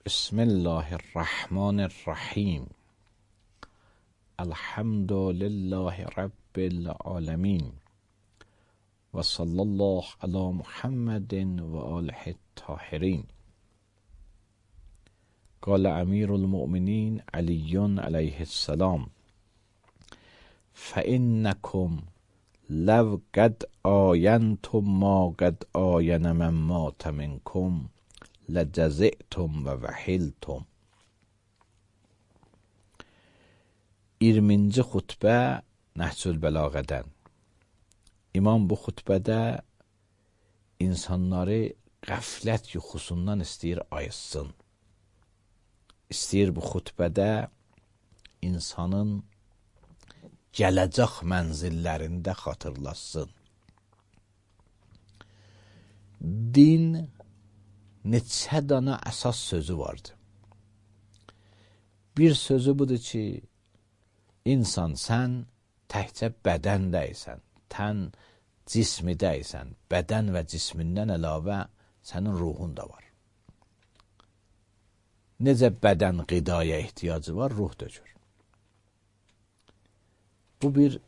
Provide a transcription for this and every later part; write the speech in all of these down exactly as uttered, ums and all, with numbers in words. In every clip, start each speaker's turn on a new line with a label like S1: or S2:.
S1: بسم الله الرحمن الرحیم. الحمد لله رب العالمین و صلی الله علی محمد و آله الطاهرین. قال امیر المؤمنین علی علیه السلام: فإنکم لو قد آینتم ما قد آین من مات منکم لجزعتم و وحلتم. iyirminci xutbə Nəhcül Bəlağədən. İmam bu xutbədə insanları qəflət yuxusundan istəyir ayıtsın. İstəyir bu xutbədə insanın gələcək mənzillərində xatırlasın. Din neçə dana əsas sözü vardır. Bir sözü budur ki, İnsan, sən təkcə bədən deyilsən, tən cismi deyilsən, bədən və cismindən əlavə sənin ruhun da var. Necə bədən qidaya ehtiyacı var, ruh da gör. Bu bir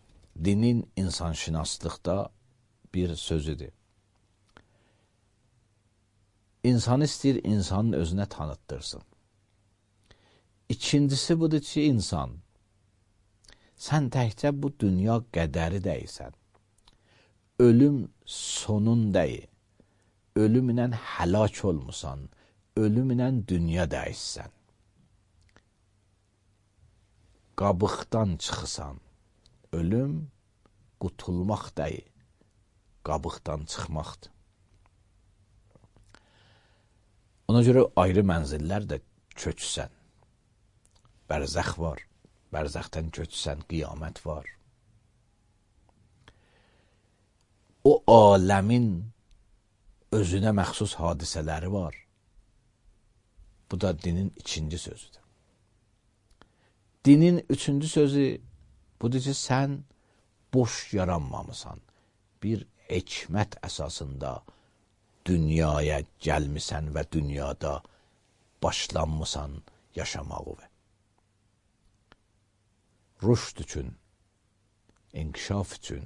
S1: dinin insanşünaslıqda bir sözüdür. İnsan istəyir, insanın özünə tanıttırsın. İkincisi budur ki, insan, sən təkcə bu dünya qədəri deyilsən. Ölüm sonun deyil. Ölümlə həlak olmusan. Ölümlə dünya dəyişsən. Qabıqdan çıxısan. Ölüm qutulmaq deyil. Qabıqdan çıxmaqdır. Ona görə ayrı mənzillər də köçsən. Bərzəx var. Bərzəxdən köçsən, qiyamət var. O aləmin özünə məxsus hadisələri var. Bu da dinin ikinci sözüdür. Dinin üçüncü sözü budur ki, sən boş yaranmamısan. Bir hikmət əsasında dünyaya gəlmisən və dünyada başlanmısan yaşamağı və rüşd üçün, inkişaf üçün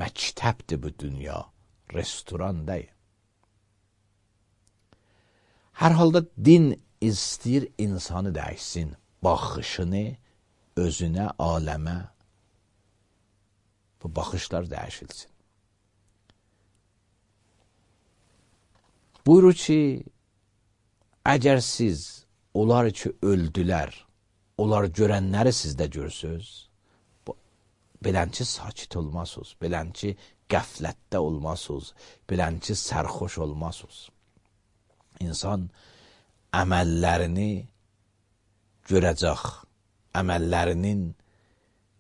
S1: məktəbdir bu dünya, restoran deyil. Hər halda din istəyir insanı dəyişsin, baxışını özünə, aləmə, bu baxışlar dəyişilsin. Buyurur ki, əgər siz onlar ki öldülər, onlar görənləri sizdə görsünüz, belənçi sakit olmasınız, belənçi qəflətdə olmasınız, belənçi sərxoş olmasınız. İnsan əməllərini görəcək, əməllərinin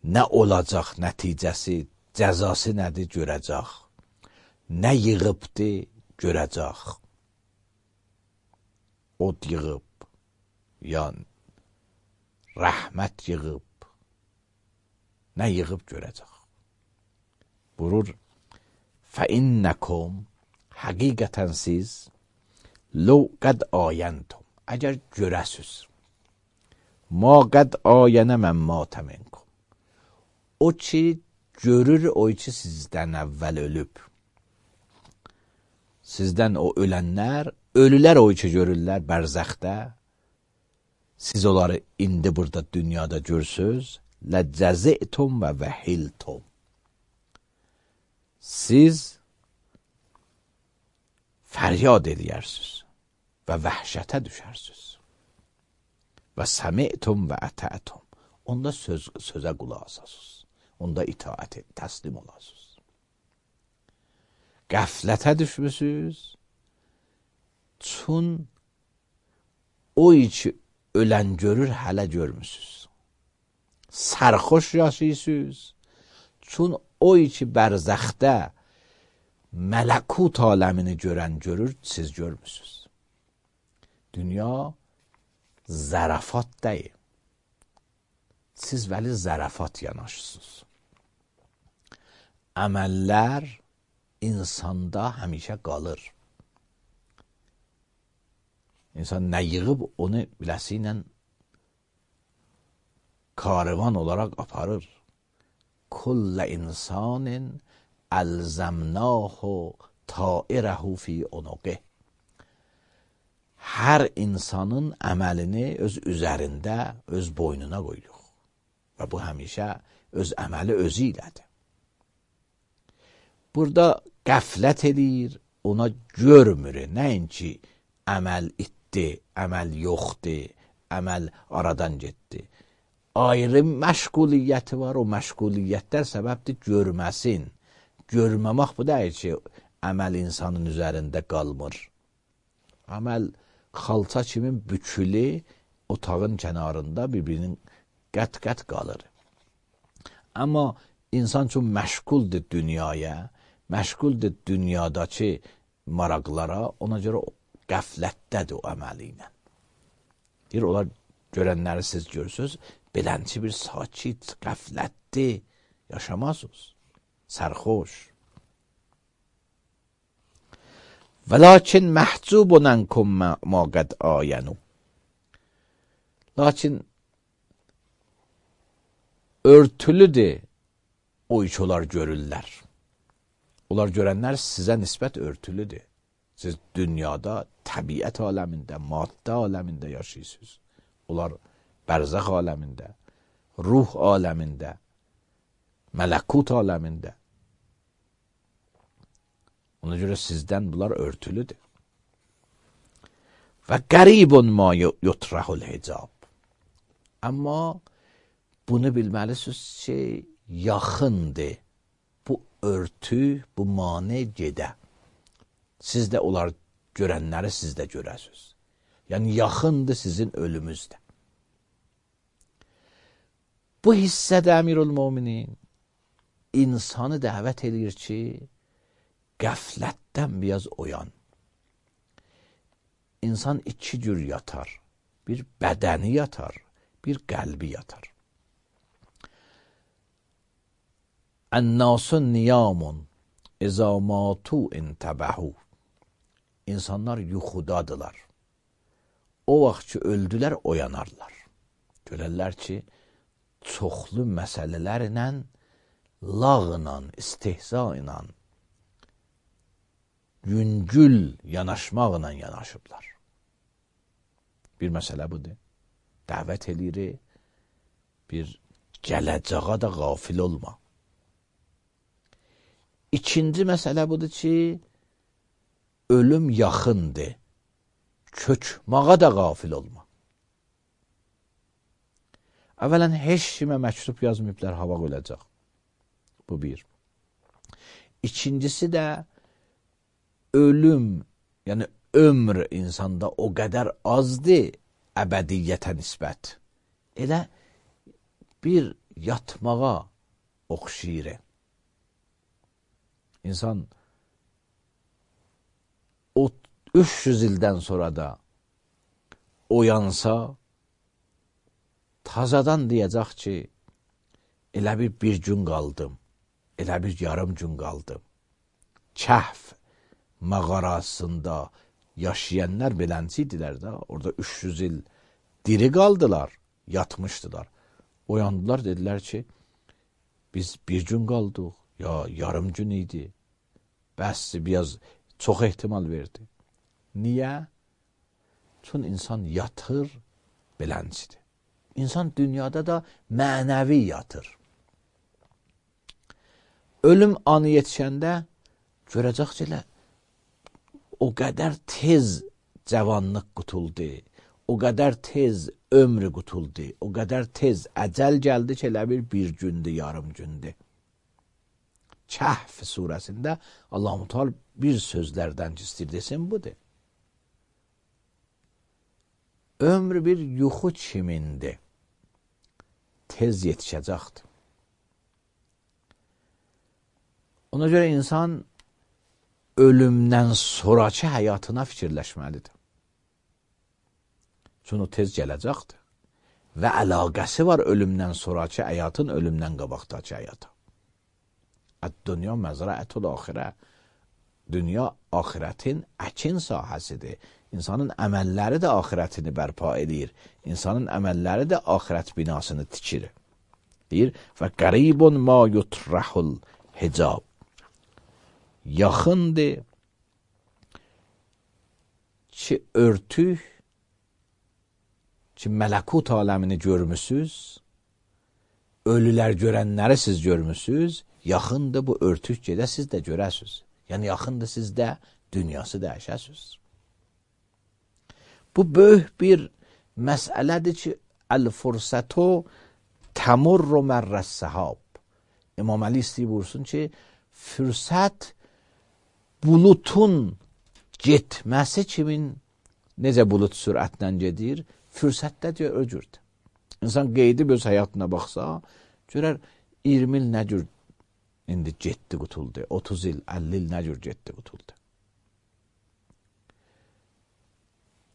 S1: nə olacaq nəticəsi, cəzası nədir görəcək, nə yığıbdır görəcək. Od yığıb, yəni rəhmət yığıb, nə yığıb görəcək. Buyurur, فَإِنَّكُمْ həqiqətən siz لَوْ قَدْ آيَنْتُمْ əgər görəsiz, مَا قَدْ آيَنَ مَنْ مَاتَ مِنْكُمْ o ki görür, o ki sizdən əvvəl ölüb. Sizdən o ölənlər, ölülər o ki görürlər bərzəxdə. Siz onları indi burada dünyada görsünüz, لَجَزِئْتُمْ və vəhiltum. Siz fəryad edərsiniz və vəhşətə düşərsiniz. Və səmi'tum və ətətum. Onda söz, sözə qulaq asasınız. Onda itaət et, təslim olasınız. Qəflətə düşmüsünüz. Çün o ki ölən görür, hələ görmüsünüz. Sərxoş yaşayırsınız. Çün o ki bərzəxdə mələkut aləmini görən görür, siz görmüsünüz. Dünya zərafat deyil. Siz vəli zərafat yanaşırsınız. Əməllər insanda həmişə qalır. İnsan nə yığıb onu biləsi ilə karvan olaraq aparır. Kullə insanin əlzəmnahu tairəhu fi unuqih. Hər insanın əməlini öz üzərində, öz boynuna qoyuruq. Və bu həmişə öz əməli özü ilədir. Burada qəflət edir, ona görmür. Nəinki əməl itdi, əməl yoxdur, əməl aradan getdi. Ayrı məşğuliyyəti var, o məşğuliyyətlər səbəbdir görməsin. Görməmək bu deyil ki, əməl insanın üzərində qalmır. Əməl xalça kimin bükülü otağın kənarında bir-birinin qət-qət qalır. Amma insan üçün məşğuldur dünyaya, məşğuldur dünyadakı maraqlara, ona görə qəflətdədir o əməli ilə. Deyir, onlar görənləri siz görürsünüz, belənçi bir sakit, qəflətli yaşamazsınız, sərxoş. Və lakin məhcubun ənkum ma qəd ayənu. Lakin örtülüdür o iş onlar görürlər. Onlar görənlər sizə nisbət örtülüdür. Siz dünyada, təbiət aləmində, maddə aləmində yaşayırsınız. Onlar bərzəx aləmində, ruh aləmində, mələkut aləmində. Ona görə sizdən bunlar örtülüdür. Və qəribun ma yutrahul hicab. Amma bunu bilməlisiniz ki, yaxındır. Bu örtü, bu mane gedə. Siz də onlar görənləri siz də görəsiniz. Yəni, yaxındır sizin ölümüzdə. Bu hissədə Əmirul Müminin insanı dəvət edir ki, qəflətdən biraz oyan. İnsan iki cür yatar. Bir bədəni yatar, bir qəlbi yatar. Ən-nasun niyamun izə matu intəbəhu. İnsanlar yuxudadılar. O vaxt ki, öldülər, oyanarlar. Görərlər ki, çoxlu məsələlərlə, lağla, istihza ilə, yüngül yanaşmaqla yanaşıblar. Bir məsələ budur. Dəvət edir, bir gələcəğa da qafil olma. İkinci məsələ budur ki, ölüm yaxındır. Köçmağa da qafil olma. Əvvələn, heç kimə məktub yazmayıblar, hava öləcək. Bu bir. İkincisi də, ölüm, yəni ömr insanda o qədər azdır, əbədiyyətə nisbət. Elə bir yatmağa oxşayır. İnsan o üç yüz ildən sonra da oyansa, tazadan deyəcək ki, elə bir bir gün qaldım, elə bir yarım gün qaldım. Kəhf mağarasında yaşayanlar belənçi idilər də, orada üç yüz il diri qaldılar, yatmışdılar. Oyandılar, dedilər ki, biz bir gün qaldıq, ya yarım gün idi. Bəs biraz çox ehtimal verdi. Niyə? Çünki insan yatır, belənçidir. İnsan dünyada da mənəvi yatır. Ölüm anı yetişəndə görəcək ki, o qədər tez cavanlıq qutuldu, o qədər tez ömrü qutuldu, o qədər tez əcəl gəldi ki, elə bir bir gündür, yarım gündür. Kəhf surəsində Allah-u Teala bir sözlərdən istəyir desin, budur. Ömrü bir yuxu kimindir, tez yetişəcəkdir. Ona görə insan ölümdən sonraki həyatına fikirləşməlidir. Çünki o tez gələcəkdir. Və əlaqəsi var ölümdən sonraki həyatın, ölümdən qabaqdakı həyata. Dünya məzrəətul axirə. Dünya axirətin əkin sahəsidir. İnsanın əməlləri də axirətini bərpa edir. İnsanın əməlləri də axirət binasını tikir. Deyir, və qəribun ma yutrahul hicab. Yaxındır ki, örtük ki, mələkut aləmini görmüsünüz, ölülər görənləri siz görmüsünüz, yaxındır bu örtük gedə siz də görəsiniz. Yəni, yaxındır sizdə dünyası dəyişəsiniz. Bu böyük bir məsələdir ki, əl-fürsətü təmurru mərrəs-səhab. İmam Əli istəyib vursun ki, fürsət bulutun getməsi kimin, necə bulut sürətlə gedir, fürsətdə deyə öcürdür. İnsan qeydib öz həyatına baxsa, görər iyirmi il nə cür indi getdi qutuldu, otuz il, əlli il nə cür getdi qutuldu.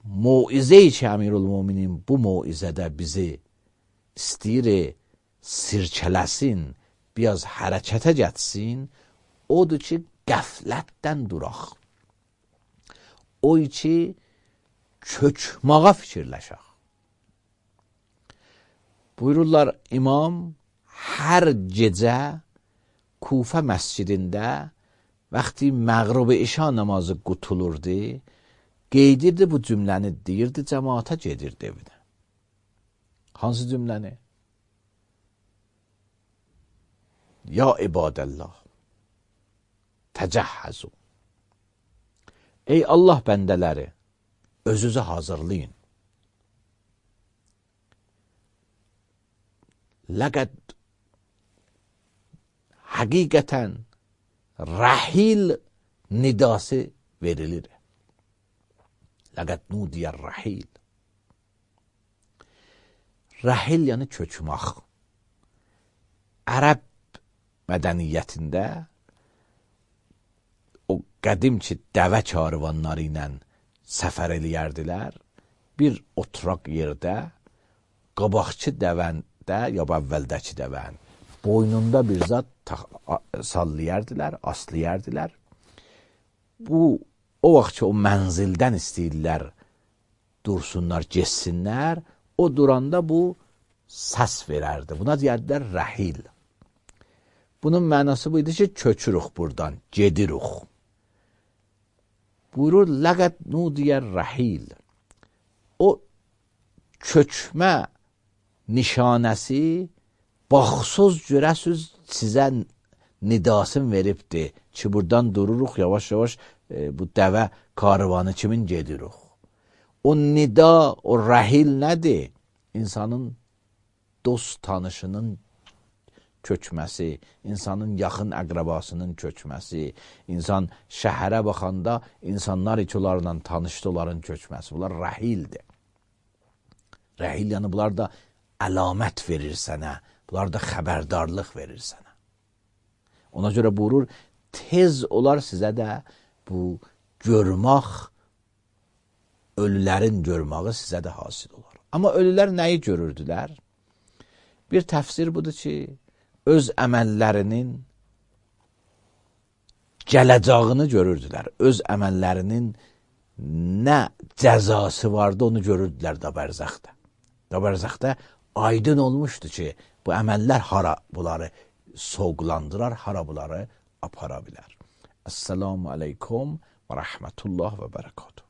S1: Muizə-i ki, Əmirül-Müminin bu muizədə bizi istəyir sirkələsin, biraz hərəkətə getsin, odur ki, qəflətdən duraq. O ki, köçmağa fikirləşək. Buyururlar, imam hər gecə Kufə məscidində vaxtı məğrib-i işa namazı qutulurdu, qeydirdi bu cümləni, deyirdi, cəmaata gedirdi evinə. Hansı cümləni? Ya ibadəllah, təcəhhəzu. Ey Allah bəndələri, özünüzü hazırlayın. Ləqəd həqiqətən rəhil nidası verilir. Ləqəd nudiyər rəhil. Rəhil yəni köçmək. Ərəb mədəniyyətində o qədim ki, dəvə karvanları ilə səfər eləyərdilər, bir oturaq yerdə qabaqçı dəvəndə, ya əvvəldəki dəvən boynunda bir zat sallayardılar, aslayardılar. Bu, o vaxt ki, o mənzildən istəyirlər, dursunlar, geçsinlər, o duranda bu səs verərdi. Buna deyərdilər rəhil. Bunun mənası bu idi ki, köçürük buradan, gedirik. Buyurur, ləqəd nudiyər rəhil. O köçmə nişanəsi baxsız görəsiz sizə nidasını veribdir ki, buradan dururuq, yavaş-yavaş e, bu dəvə karvanı kimin gedirik. O nida, o rəhil nədir? İnsanın dost tanışının köçməsi, insanın yaxın əqrəbasının köçməsi, insan şəhərə baxanda insanlar iki onlarla tanışdı, onların köçməsi. Bunlar rəhildir. Rəhil yəni bunlar da əlamət verir sənə, bunlar da xəbərdarlıq verir sənə. Ona görə buyurur, tez olar sizə də bu görmək, ölülərin görməyi sizə də hasil olar. Amma ölülər nəyi görürdülər? Bir təfsir budur ki, öz əməllərinin gələcağını görürdülər. Öz əməllərinin nə cəzası vardı, onu görürdülər da bərzəxdə. Da bərzəxdə aydın olmuşdu ki, bu əməllər hara bunları soğuqlandırar, hara bunları apara bilər. Esselamu aleykum və rəhmətullah və bərəkatuhu.